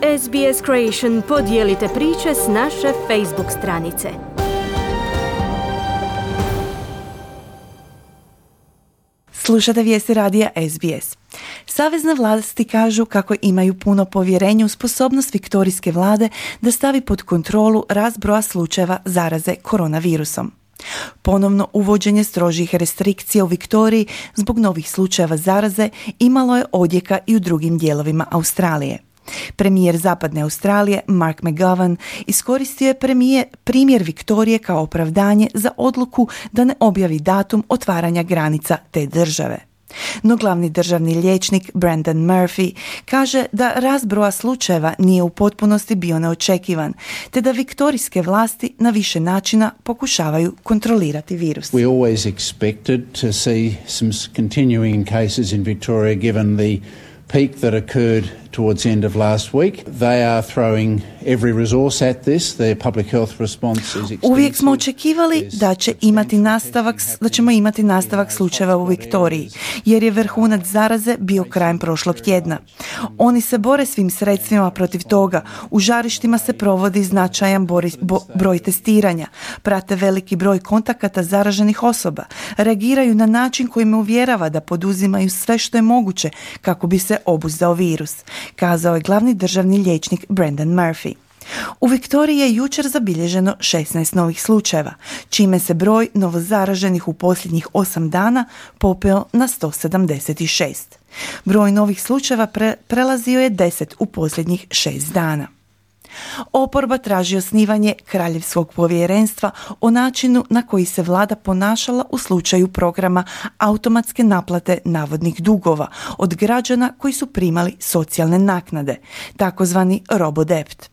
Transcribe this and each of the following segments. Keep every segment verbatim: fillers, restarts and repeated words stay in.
S B S Creation podijelite priče s naše Facebook stranice. Slušate vijesti radija S B S. Savezne vlasti kažu kako imaju puno povjerenja u sposobnost viktorijske vlade da stavi pod kontrolu rast broja slučajeva zaraze koronavirusom. Ponovno uvođenje strožih restrikcija u Viktoriji zbog novih slučajeva zaraze imalo je odjeka i u drugim dijelovima Australije. Premijer Zapadne Australije Mark McGowan iskoristio je premije, primjer Viktorije kao opravdanje za odluku da ne objavi datum otvaranja granica te države. No glavni državni liječnik Brendan Murphy kaže da rast broja slučajeva nije u potpunosti bio neočekivan, te da viktorijske vlasti na više načina pokušavaju kontrolirati virus. We always expected to see some continuing cases in Victoria given the peak that occurred towards the end of last week. They are throwing every resource at this. Their public health response is extensive. Uvijek smo očekivali da će imati nastavak, da ćemo imati nastavak slučajeva u Viktoriji, jer je vrhunac zaraze bio krajem prošlog tjedna. Oni se bore svim sredstvima protiv toga. U žarištima se provodi značajan bori, bo, broj testiranja, prate veliki broj kontakata zaraženih osoba, reagiraju na način koji me uvjerava da poduzimaju sve što je moguće kako bi se obuzdao virus, kazao je glavni državni liječnik Brendan Murphy. U Viktoriji je jučer zabilježeno šesnaest novih slučajeva, čime se broj novozaraženih u posljednjih osam dana popeo na sto sedamdeset šest. Broj novih slučajeva pre, prelazio je deset u posljednjih šest dana. Oporba traži osnivanje kraljevskog povjerenstva o načinu na koji se vlada ponašala u slučaju programa automatske naplate navodnih dugova od građana koji su primali socijalne naknade, takozvani robodebt.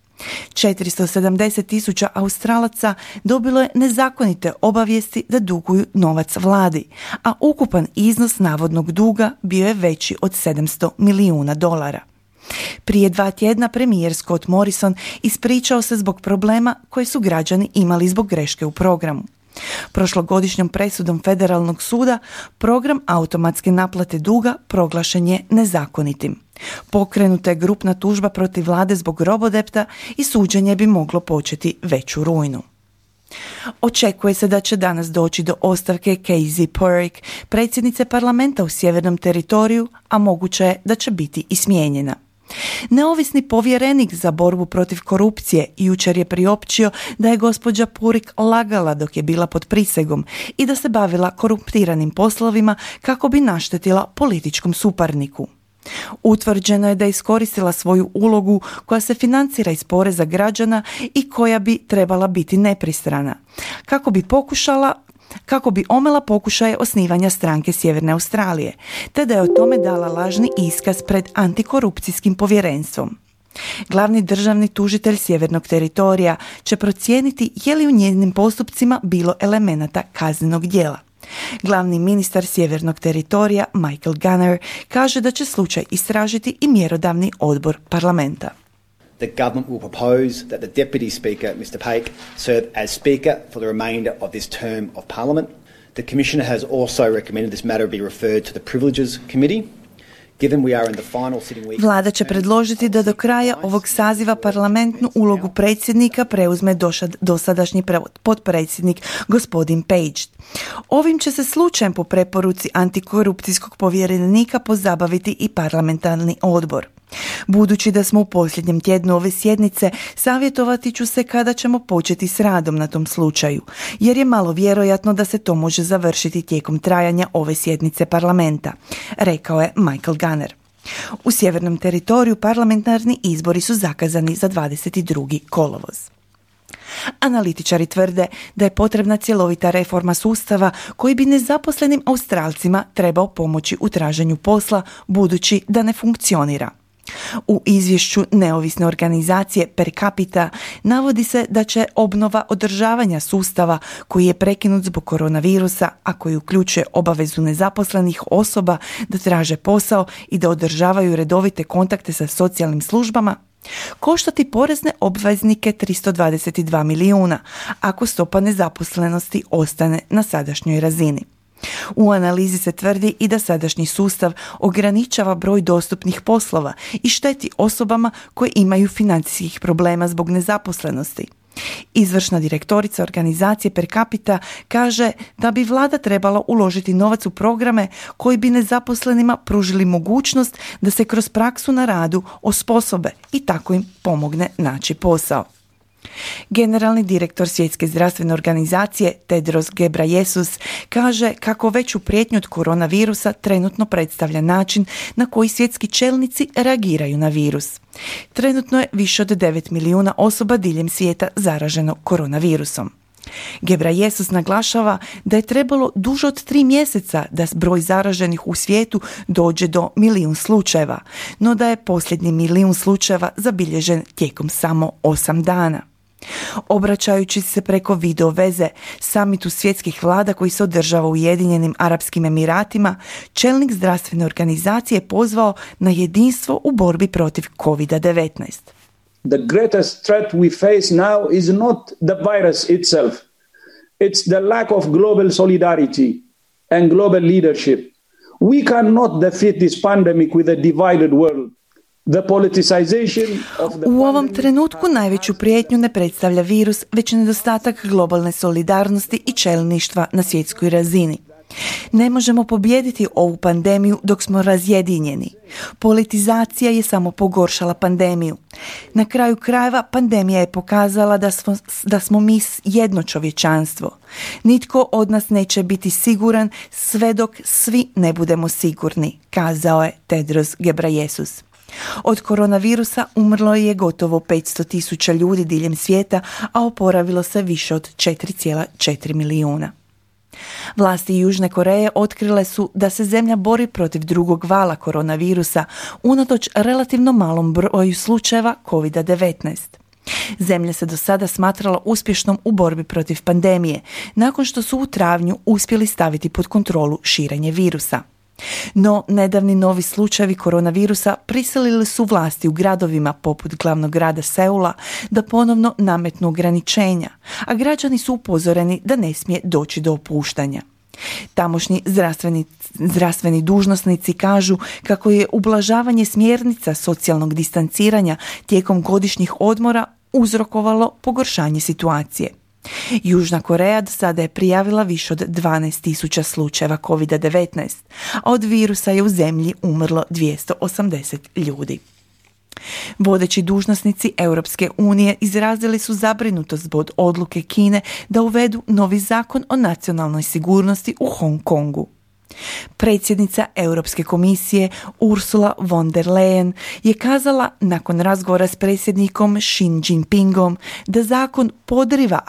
četiristo sedamdeset tisuća Australaca dobilo je nezakonite obavijesti da duguju novac vladi, a ukupan iznos navodnog duga bio je veći od sedamsto milijuna dolara. Prije dva tjedna premijer Scott Morrison ispričao se zbog problema koje su građani imali zbog greške u programu. Prošlogodišnjom presudom federalnog suda program automatske naplate duga proglašen je nezakonitim. Pokrenuta je grupna tužba protiv vlade zbog robodepta i suđenje bi moglo početi već u rujnu. Očekuje se da će danas doći do ostavke Casey Purrick, predsjednice parlamenta u Sjevernom teritoriju, a moguće je da će biti i smijenjena. Neovisni povjerenik za borbu protiv korupcije jučer je priopćio da je gospođa Purrick lagala dok je bila pod prisegom i da se bavila korumpiranim poslovima kako bi naštetila političkom suparniku. Utvrđeno je da je iskoristila svoju ulogu koja se financira iz poreza građana i koja bi trebala biti nepristrana, kako bi pokušala kako bi omela pokušaje osnivanja stranke Sjeverne Australije, te da je o tome dala lažni iskaz pred antikorupcijskim povjerenstvom. Glavni državni tužitelj Sjevernog teritorija će procijeniti je li u njezinim postupcima bilo elemenata kaznenog djela. Glavni ministar Sjevernog teritorija Michael Gunner kaže da će slučaj istražiti i mjerodavni odbor parlamenta. The government will propose that the Deputy Speaker, Mister Paik, serve as Speaker for the remainder of this term of Parliament. The Commissioner has also recommended this matter be referred to the Privileges Committee. Vlada će predložiti da do kraja ovog saziva parlamentnu ulogu predsjednika preuzme dosadašnji potpredsjednik gospodin Page. Ovim će se slučajem po preporuci antikorupcijskog povjerenika pozabaviti i parlamentarni odbor. Budući da smo u posljednjem tjednu ove sjednice, savjetovati ću se kada ćemo početi s radom na tom slučaju, jer je malo vjerojatno da se to može završiti tijekom trajanja ove sjednice parlamenta, rekao je Michael Gunner. U Sjevernom teritoriju parlamentarni izbori su zakazani za dvadeset drugi kolovoz. Analitičari tvrde da je potrebna cjelovita reforma sustava koji bi nezaposlenim Australcima trebao pomoći u traženju posla budući da ne funkcionira. U izvješću neovisne organizacije Per Capita navodi se da će obnova održavanja sustava koji je prekinut zbog koronavirusa, a koji uključuje obavezu nezaposlenih osoba da traže posao i da održavaju redovite kontakte sa socijalnim službama, koštati porezne obveznike tristo dvadeset dva milijuna ako stopa nezaposlenosti ostane na sadašnjoj razini. U analizi se tvrdi i da sadašnji sustav ograničava broj dostupnih poslova i šteti osobama koje imaju financijskih problema zbog nezaposlenosti. Izvršna direktorica organizacije Per Capita kaže da bi vlada trebala uložiti novac u programe koji bi nezaposlenima pružili mogućnost da se kroz praksu na radu osposobe i tako im pomogne naći posao. Generalni direktor Svjetske zdravstvene organizacije Tedros Ghebreyesus kaže kako veću prijetnju od koronavirusa trenutno predstavlja način na koji svjetski čelnici reagiraju na virus. Trenutno je više od devet milijuna osoba diljem svijeta zaraženo koronavirusom. Ghebreyesus naglašava da je trebalo duže od tri mjeseca da broj zaraženih u svijetu dođe do milijun slučajeva, no da je posljednji milijun slučajeva zabilježen tijekom samo osam dana. Obraćajući se preko video veze samitu svjetskih vlada koji se održava u Ujedinjenim Arapskim Emiratima, čelnik zdravstvene organizacije je pozvao na jedinstvo u borbi protiv kovid devetnaest. The greatest threat we face now is not the virus itself. It's the lack of global solidarity and global leadership. We cannot defeat this pandemic with a divided world. The politicization of the U ovom trenutku najveću prijetnju ne predstavlja virus, već nedostatak globalne solidarnosti i čelništva na svjetskoj razini. Ne možemo pobijediti ovu pandemiju dok smo razjedinjeni. Politizacija je samo pogoršala pandemiju. Na kraju krajeva pandemija je pokazala da smo, da smo mi jedno čovječanstvo. Nitko od nas neće biti siguran sve dok svi ne budemo sigurni, kazao je Tedros Ghebreyesus. Od koronavirusa umrlo je gotovo petsto tisuća ljudi diljem svijeta, a oporavilo se više od četiri zarez četiri milijuna. Vlasti Južne Koreje otkrile su da se zemlja bori protiv drugog vala koronavirusa unatoč relativno malom broju slučajeva kovid devetnaest. Zemlja se do sada smatrala uspješnom u borbi protiv pandemije, nakon što su u travnju uspjeli staviti pod kontrolu širenje virusa. No, nedavni novi slučajevi koronavirusa prisilili su vlasti u gradovima poput glavnog grada Seula da ponovno nametnu ograničenja, a građani su upozoreni da ne smije doći do opuštanja. Tamošnji zdravstveni, zdravstveni dužnosnici kažu kako je ublažavanje smjernica socijalnog distanciranja tijekom godišnjih odmora uzrokovalo pogoršanje situacije. Južna Koreja do sada je prijavila više od dvanaest tisuća slučajeva kovid devetnaest, a od virusa je u zemlji umrlo dvjesto osamdeset ljudi. Vodeći dužnosnici Europske unije izrazili su zabrinutost zbog odluke Kine da uvedu novi zakon o nacionalnoj sigurnosti u Hong Kongu. Predsjednica Europske komisije Ursula von der Leyen je kazala nakon razgovora s predsjednikom Xi Jinpingom da zakon podriva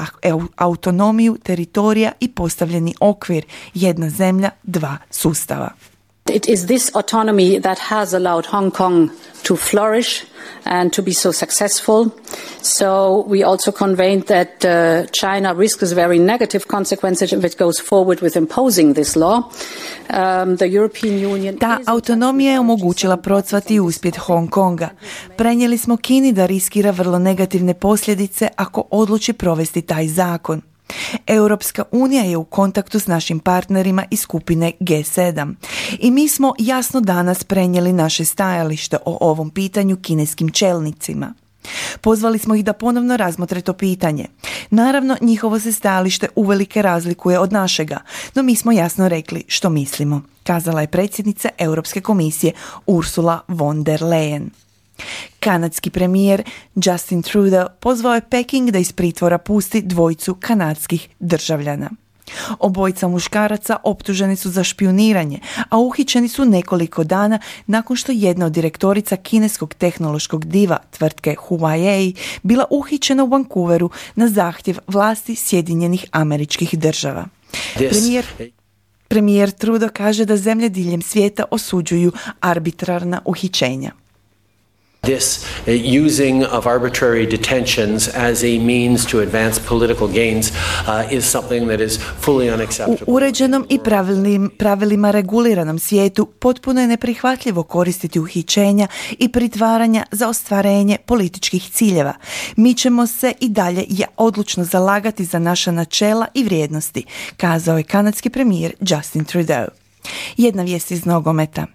autonomiju teritorija i postavljeni okvir jedna zemlja, dva sustava. It is this autonomy that has allowed Hong Kong to flourish and to be so successful. So we also conveyed that uh, China risks very negative consequences if it goes forward with imposing this law. Um, the European Union Ta autonomija je omogućila procvati uspjet Hong Konga. Prenijeli smo Kini da riskira vrlo negativne posljedice ako odluči provesti taj zakon. Europska unija je u kontaktu s našim partnerima iz skupine G sedam i mi smo jasno danas prenijeli naše stajalište o ovom pitanju kineskim čelnicima. Pozvali smo ih da ponovno razmotre to pitanje. Naravno, njihovo se stajalište uvelike razlikuje od našega, no mi smo jasno rekli što mislimo, kazala je predsjednica Europske komisije Ursula von der Leyen. Kanadski premijer Justin Trudeau pozvao je Peking da iz pritvora pusti dvojicu kanadskih državljana. Obojica muškaraca optuženi su za špijuniranje, a uhićeni su nekoliko dana nakon što jedna od direktorica kineskog tehnološkog diva tvrtke Huawei bila uhićena u Vancouveru na zahtjev vlasti Sjedinjenih Američkih Država. Premijer, premijer Trudeau kaže da zemlje diljem svijeta osuđuju arbitrarna uhićenja. This uh, using of arbitrary detentions as a means to advance political gains uh, is something that is fully unacceptable. U uređenom i pravilnim, pravilima reguliranom svijetu potpuno je neprihvatljivo koristiti uhićenja i pritvaranja za ostvarenje političkih ciljeva. Mi ćemo se i dalje ja odlučno zalagati za naša načela i vrijednosti, kazao je kanadski premijer Justin Trudeau. Jedna vijest iz nogometa.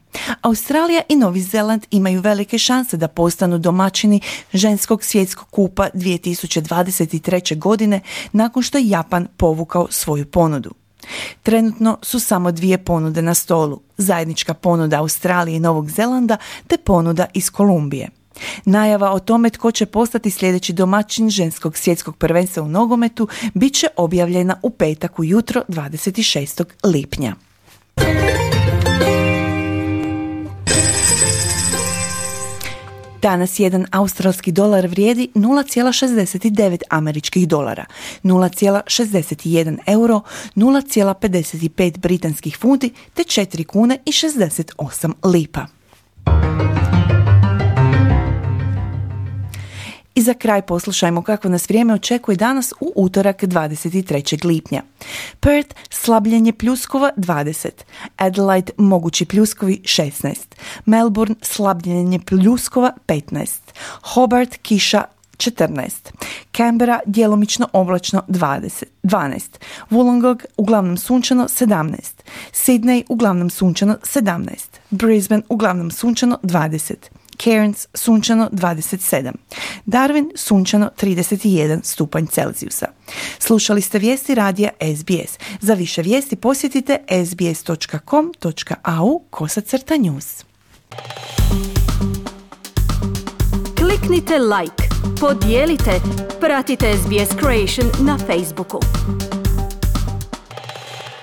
Australija i Novi Zeland imaju velike šanse da postanu domaćini ženskog svjetskog kupa dvije tisuće dvadeset treće. godine nakon što je Japan povukao svoju ponudu. Trenutno su samo dvije ponude na stolu, zajednička ponuda Australije i Novog Zelanda te ponuda iz Kolumbije. Najava o tome tko će postati sljedeći domaćin ženskog svjetskog prvenstva u nogometu bit će objavljena u petak ujutro dvadeset šestog lipnja. Danas jedan australski dolar vrijedi nula zarez šezdeset devet američkih dolara, nula zarez šezdeset jedan euro, nula zarez pedeset pet britanskih funti te četiri kune i šezdeset osam lipa. I za kraj poslušajmo kako nas vrijeme očekuje danas u utorak dvadeset trećeg lipnja. Perth slabljenje pljuskova dvadeset, Adelaide mogući pljuskovi šesnaest, Melbourne slabljenje pljuskova petnaest, Hobart kiša četrnaest, Canberra djelomično oblačno dvadeset, dvanaest, Wollongong uglavnom sunčano sedamnaest, Sydney uglavnom sunčano sedamnaest, Brisbane uglavnom sunčano dvadeset, Cairns sunčano dvadeset sedam, Darwin sunčano trideset jedan stupanj Celzijusa. Slušali ste vijesti radija S B S. Za više vijesti posjetite s b s dot com dot a u kosacrta news. Kliknite like, podijelite, pratite S B S Creation na Facebooku.